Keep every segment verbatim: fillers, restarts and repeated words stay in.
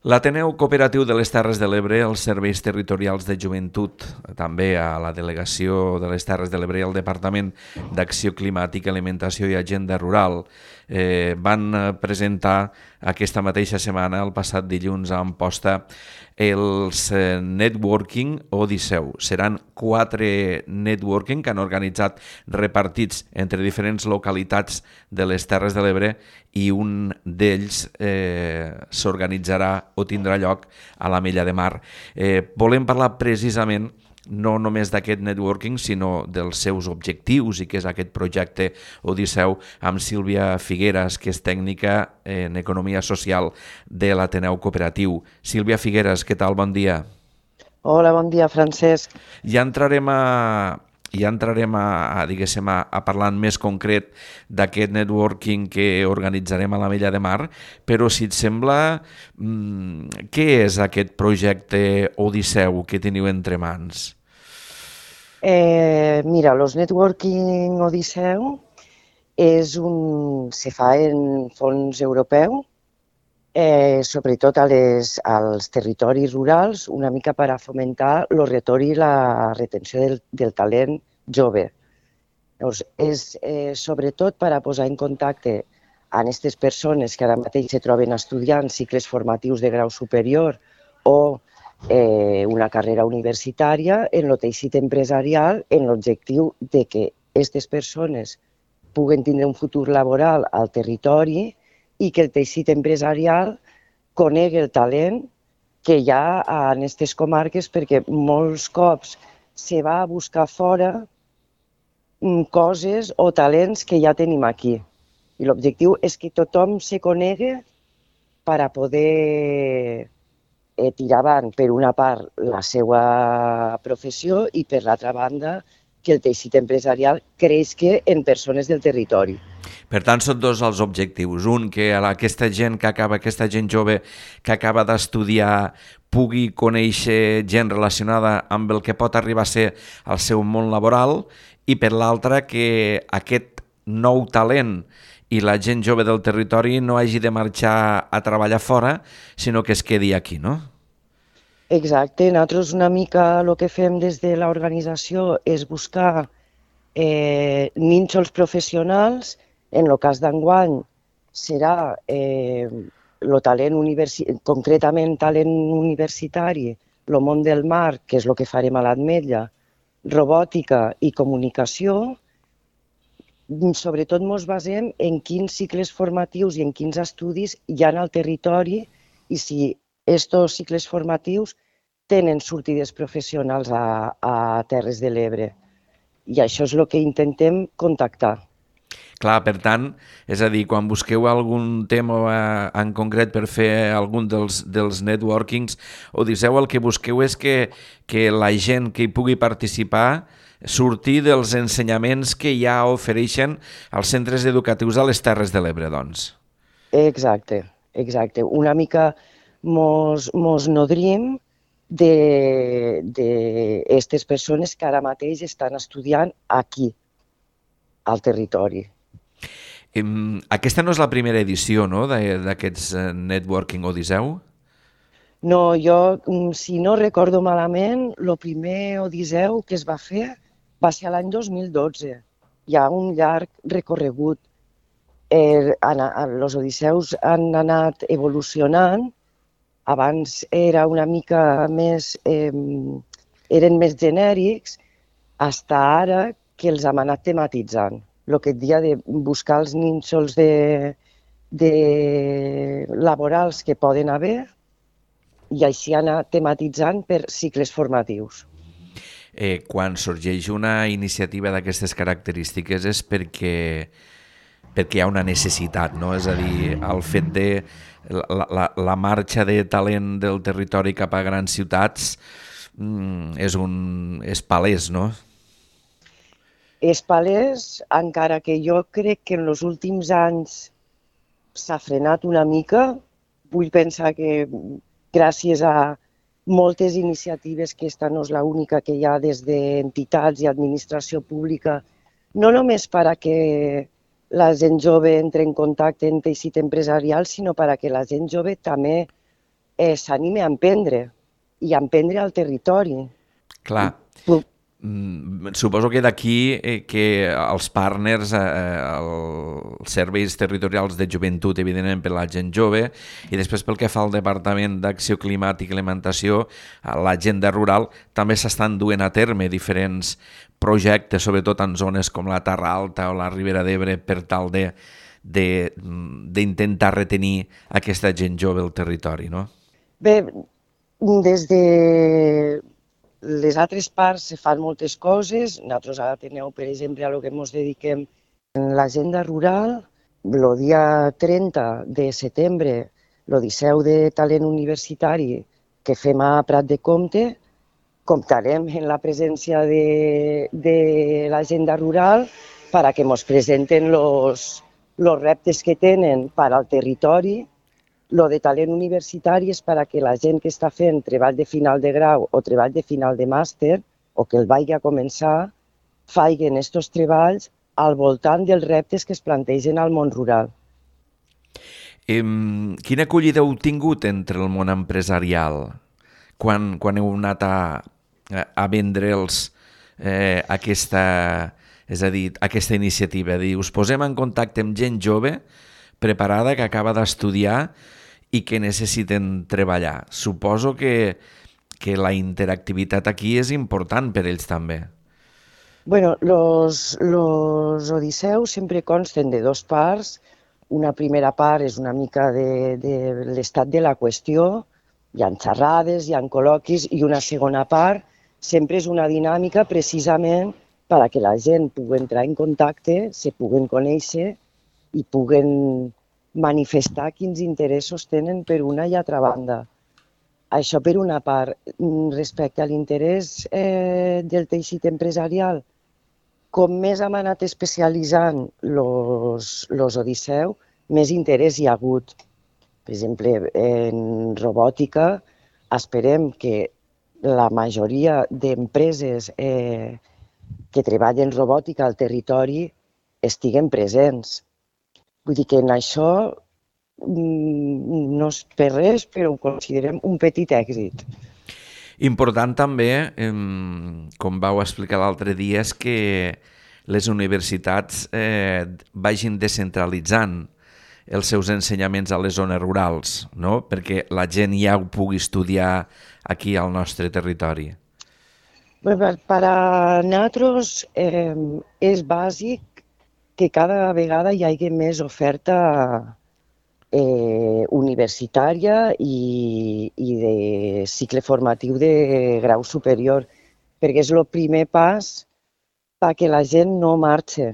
L'Ateneu Cooperatiu de les Terres de l'Ebre, els serveis territorials de joventut, també a la Delegació de les Terres de l'Ebre i al Departament d'Acció Climàtica, Alimentació i Agenda Rural eh, van presentar aquesta mateixa setmana, el passat dilluns a Amposta, els eh, Networking Odisseu. Seran quatre networking que han organitzat repartits entre diferents localitats de les Terres de l'Ebre i un d'ells eh, s'organitzarà o tindrà lloc a la Mella de Mar. Eh, volem parlar precisament no només d'aquest networking, sinó dels seus objectius i què és aquest projecte Odisseu amb Sílvia Figueras, que és tècnica en Economia Social de l'Ateneu Cooperatiu. Sílvia Figueras, què tal? Bon dia. Hola, bon dia, Francesc. Ja entrarem a, ja entrarem a, a, diguéssim, a, a parlar en més concret d'aquest networking que organitzarem a la Mella de Mar, però si et sembla, mmm, què és aquest projecte Odisseu que teniu entre mans? Eh, mira, los Networking Odisseu és un, se fa en fons europeu, eh, sobretot a les, als territoris rurals, una mica per a fomentar el retorn i la retenció del, del talent jove. Llavors, és eh, sobretot per a posar en contacte amb aquestes persones que ara mateix se troben estudiant cicles formatius de grau superior o eh, una carrera universitària en el teixit empresarial, en l'objectiu de que aquestes persones puguen tindre un futur laboral al territori i que el teixit empresarial conegui el talent que hi ha en aquestes comarques, perquè molts cops se va a buscar fora coses o talents que ja tenim aquí. I l'objectiu és que tothom se conegui per a poder eh, tirar avant, per una part, la seva professió i, per l'altra banda, que el teixit empresarial creixi en persones del territori. Per tant, són dos els objectius. Un, que aquesta gent que acaba, aquesta gent jove que acaba d'estudiar pugui conèixer gent relacionada amb el que pot arribar a ser el seu món laboral, i per l'altre, que aquest nou talent i la gent jove del territori no hagi de marxar a treballar fora, sinó que es quedi aquí, no? Exacte. Nosaltres una mica el que fem des de l'organització és buscar eh, nínxols professionals. En el cas d'enguany serà eh, el talent universitari, concretament talent universitari, el món del mar, que és el que farem a l'Ametlla, robòtica i comunicació. Sobretot ens basem en quins cicles formatius i en quins estudis hi ha al territori i si aquests cicles formatius tenen sortides professionals a, a Terres de l'Ebre. I això és el que intentem contactar. Clar, per tant, és a dir, quan busqueu algun tema en concret per fer algun dels, dels networkings, Odisseu, el que busqueu és que, que la gent que hi pugui participar sortir dels ensenyaments que ja ofereixen els centres educatius a les Terres de l'Ebre, doncs. Exacte, exacte. Una mica mos, mos nodrim d'aquestes persones que ara mateix estan estudiant aquí, al territori. Aquesta no és la primera edició, no?, d'aquests Networking Odisseu? No, jo, si no recordo malament, el primer Odisseu que es va fer va ser l'any dos mil dotze. Hi ha un llarg recorregut. Eh, els Odisseus han anat evolucionant. Abans era una mica més, eh, eren més genèrics, fins ara que els hem anat tematitzant. El que et dia de buscar els nínxols de, de laborals que poden haver i així anar tematitzant per cicles formatius. Eh, quan sorgeix una iniciativa d'aquestes característiques és perquè, perquè hi ha una necessitat, no? És a dir, el fet de la, la, la marxa de talent del territori cap a grans ciutats mm, és, un, és palès, no? És palès, encara que jo crec que en els últims anys s'ha frenat una mica. Vull pensar que gràcies a moltes iniciatives, que esta no és l'única que hi ha des d'entitats i administració pública, no només per a que la gent jove entre en contacte en teixit empresarial, sinó per a que la gent jove també eh, s'anime a emprendre i a emprendre al territori. Clar. Pu- Mm, Suposo que d'aquí eh, que els partners, eh, els serveis territorials de joventut, evidentment per la gent jove, i després pel que fa al Departament d'Acció Climàtica i Alimentació, a l'agenda rural, també s'estan duent a terme diferents projectes, sobretot en zones com la Terra Alta o la Ribera d'Ebre, per tal de de- d'intentar retenir aquesta gent jove al territori, no? Bé, des de les altres parts se fan moltes coses. Nosaltres ara teniu, per exemple, a lo que ens dediquem en l'agenda rural, el dia trenta de setembre, l'Odisseu de Talent Universitari que fem a Prat de Comte, comptarem amb la presència de, de l'agenda rural per a que ens presenten els reptes que tenen per al territori. Lo de talent universitari és per a que la gent que està fent treball de final de grau o treball de final de màster, o que el vagi a començar, facin aquests treballs al voltant dels reptes que es plantegen al món rural. Em, quina acollida heu tingut entre el món empresarial quan, quan heu anat a, a vendre'ls eh, aquesta, és a dir, aquesta iniciativa? Dir, us posem en contacte amb gent jove preparada que acaba d'estudiar i que necessiten treballar. Suposo que, que la interactivitat aquí és important per ells també. Bueno, los, los odiseus sempre consten de dos parts. Una primera part és una mica de, de l'estat de la qüestió, hi ha xerrades, hi ha col·loquis, i una segona part sempre és una dinàmica precisament per a que la gent pugui entrar en contacte, se puguen conèixer i puguen manifestar quins interessos tenen per una i altra banda. Això per una part. Respecte a l'interès eh, del teixit empresarial, com més hem anat especialitzant els Odisseu, més interès hi ha hagut. Per exemple, en robòtica esperem que la majoria d'empreses eh, que treballen robòtica al territori estiguen presents. Vull dir que en això no és per res, però ho considerem un petit èxit. Important també, com vau explicar l'altre dia, és que les universitats eh, vagin descentralitzant els seus ensenyaments a les zones rurals, no? Perquè la gent ja ho pugui estudiar aquí al nostre territori. Bé, per a nosaltres eh, és bàsic que cada vegada hi hagi més oferta eh, universitària i, i de cicle formatiu de grau superior, perquè és el primer pas perquè la gent no marxi.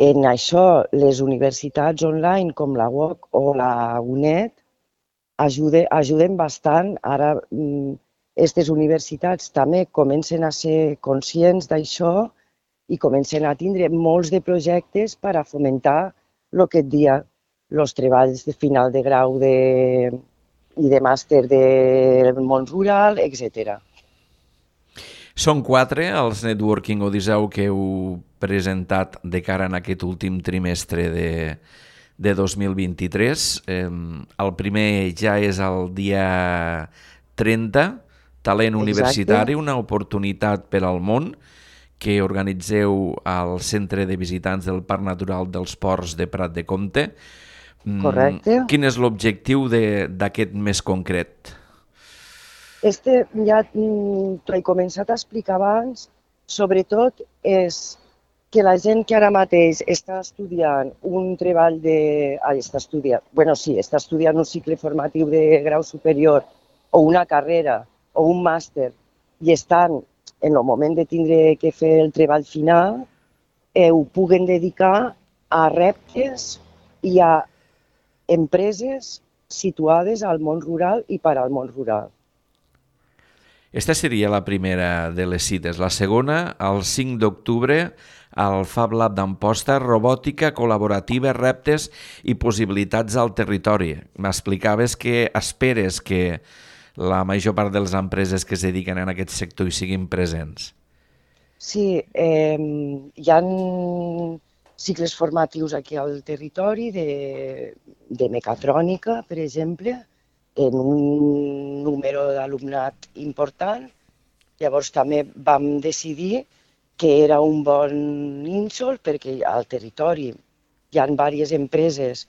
En això, les universitats online com la U O C o la UNED ajuden, ajuden bastant. Ara, aquestes universitats també comencen a ser conscients d'això i comencen a tindre molts de projectes per a fomentar el que et dia, els treballs de final de grau de, i de màster del món rural, etcètera. Són quatre els Networking Odisseu que heu presentat de cara en aquest últim trimestre de, de dos mil vint-i-tres. Eh, el primer ja és el dia trenta, Talent Universitari, una oportunitat per al món, que organitzeu al Centre de Visitants del Parc Natural dels Ports de Prat de Comte. Correcte. Quin és l'objectiu d'aquest mes concret? Este ja t'ho he començat a explicar abans. Sobretot és que la gent que ara mateix està estudiant un treball de... Ah, està estudiant, bueno, sí, està estudiant un cicle formatiu de grau superior o una carrera o un màster i estan en el moment de tindre que fer el treball final, eh, ho puguen dedicar a reptes i a empreses situades al món rural i per al món rural. Esta seria la primera de les cites. La segona, el cinc d'octubre, al Fab Lab d'Amposta, robòtica col·laborativa, reptes i possibilitats al territori. M'explicaves que esperes que la major part de les empreses que es dediquen a aquest sector hi siguin presents. Sí, eh, hi ha cicles formatius aquí al territori de, de mecatrònica, per exemple, en un número d'alumnat important. Llavors també vam decidir que era un bon nínxol perquè al territori hi ha diverses empreses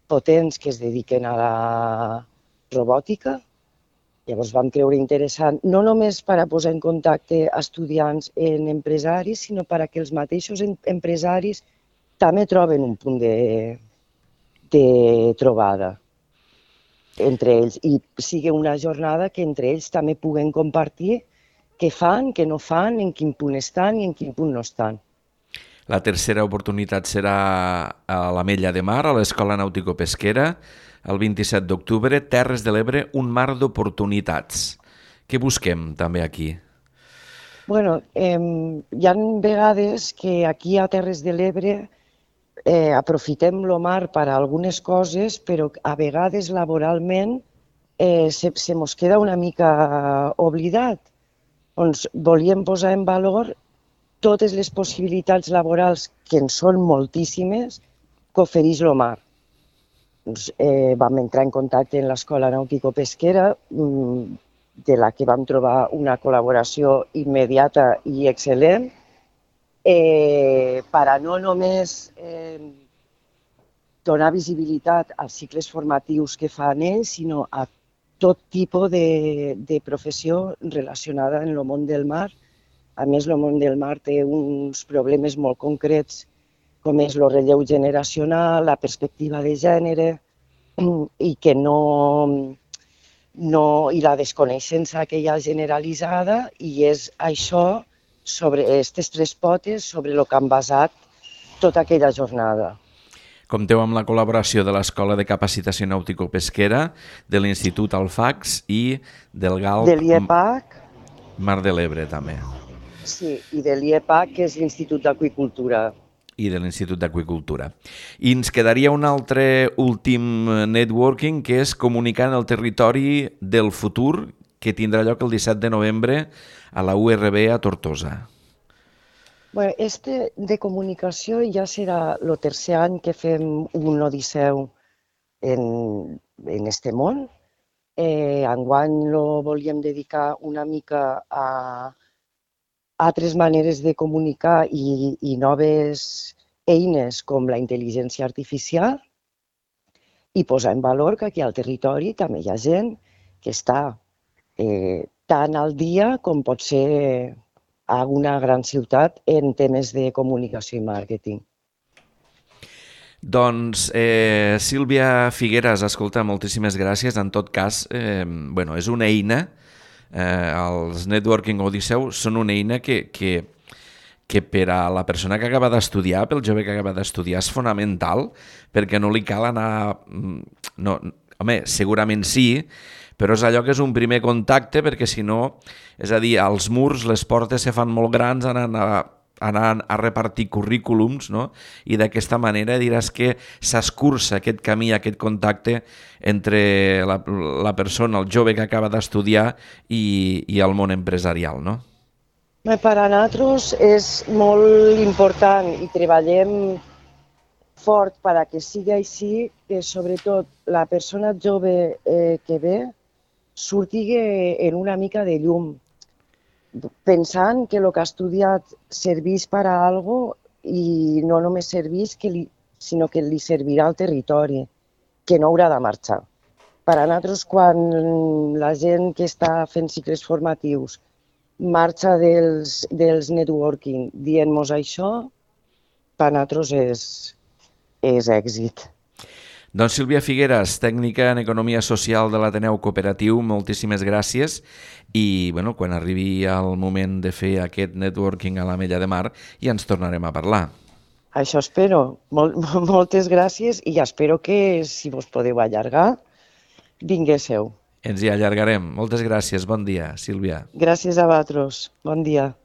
potents que es dediquen a la robòtica. Llavors vam creure interessant, no només per a posar en contacte estudiants en empresaris, sinó per a que els mateixos empresaris també troben un punt de, de trobada entre ells i sigui una jornada que entre ells també puguen compartir què fan, què no fan, en quin punt estan i en quin punt no estan. La tercera oportunitat serà a l'Ametlla de Mar, a l'Escola Nàutico-Pesquera, el vint-i-set d'octubre, Terres de l'Ebre, un mar d'oportunitats. Què busquem també aquí? Bueno, eh, hi ha vegades que aquí a Terres de l'Ebre eh, aprofitem el mar per a algunes coses, però a vegades laboralment eh, se, se mos queda una mica oblidat. Doncs volíem posar en valor totes les possibilitats laborals, que en són moltíssimes, que ofereix el mar. Doncs, eh, vam entrar en contacte amb l'Escola Nàutico-Pesquera, de la que vam trobar una col·laboració immediata i excel·lent, eh, per a no només eh, donar visibilitat als cicles formatius que fan ells, sinó a tot tipus de, de professió relacionada amb el món del mar. A més, el món del mar té uns problemes molt concrets, com és el relleu generacional, la perspectiva de gènere, i que no, no i la desconeixença que hi ha generalitzada, i és això, sobre aquestes tres potes, sobre el que han basat tota aquella jornada. Compteu amb la col·laboració de l'Escola de Capacitació Nàutico-Pesquera, de l'Institut Alfax i del G A L P De l'I E P A C. Mar de l'Ebre, també. Sí, i de l'I E P A C, que és l'Institut d'Aqüicultura. I de l'Institut d'Aqüicultura. I ens quedaria un altre últim networking, que és Comunicant el territori del futur, que tindrà lloc el disset de novembre a la U R B a Tortosa. Bueno, este de comunicació ja serà el tercer any que fem un Odisseu en, en este món. Eh, enguany lo volíem dedicar una mica a altres maneres de comunicar i, i noves eines com la intel·ligència artificial i posar en valor que aquí al territori també hi ha gent que està eh, tan al dia com pot ser a una gran ciutat en temes de comunicació i màrqueting. Doncs, eh, Sílvia Figueras, escolta, moltíssimes gràcies. En tot cas, eh, bueno, és una eina, eh, els Networking Odisseu són una eina que, que, que per a la persona que acaba d'estudiar, pel jove que acaba d'estudiar, és fonamental, perquè no li cal anar... No, home, segurament sí, però és allò que és un primer contacte, perquè si no, és a dir, als murs les portes se fan molt grans anant a, anant a repartir currículums, no? I d'aquesta manera diràs que s'escurça aquest camí, aquest contacte entre la, la persona, el jove que acaba d'estudiar i, i el món empresarial, no? Per a nosaltres és molt important i treballem fort per a que sigui així, que sobretot la persona jove eh, que ve surti en una mica de llum, pensant que el que ha estudiat serveix per a alguna cosa i no només serveix, que li, sinó que li servirà al territori, que no haurà de marxar. Per a nosaltres, quan la gent que està fent cicles formatius marxa dels, dels networking dient-nos això, per a nosaltres és, és èxit. Doncs Sílvia Figueras, tècnica en Economia Social de l'Ateneu Cooperatiu, moltíssimes gràcies i bueno, quan arribi el moment de fer aquest networking a l'Ametlla de Mar ja ens tornarem a parlar. Això espero. Mol, moltes gràcies i espero que si vos podeu allargar, vinguéssiu. Ens hi allargarem. Moltes gràcies. Bon dia, Sílvia. Gràcies a vosaltres. Bon dia.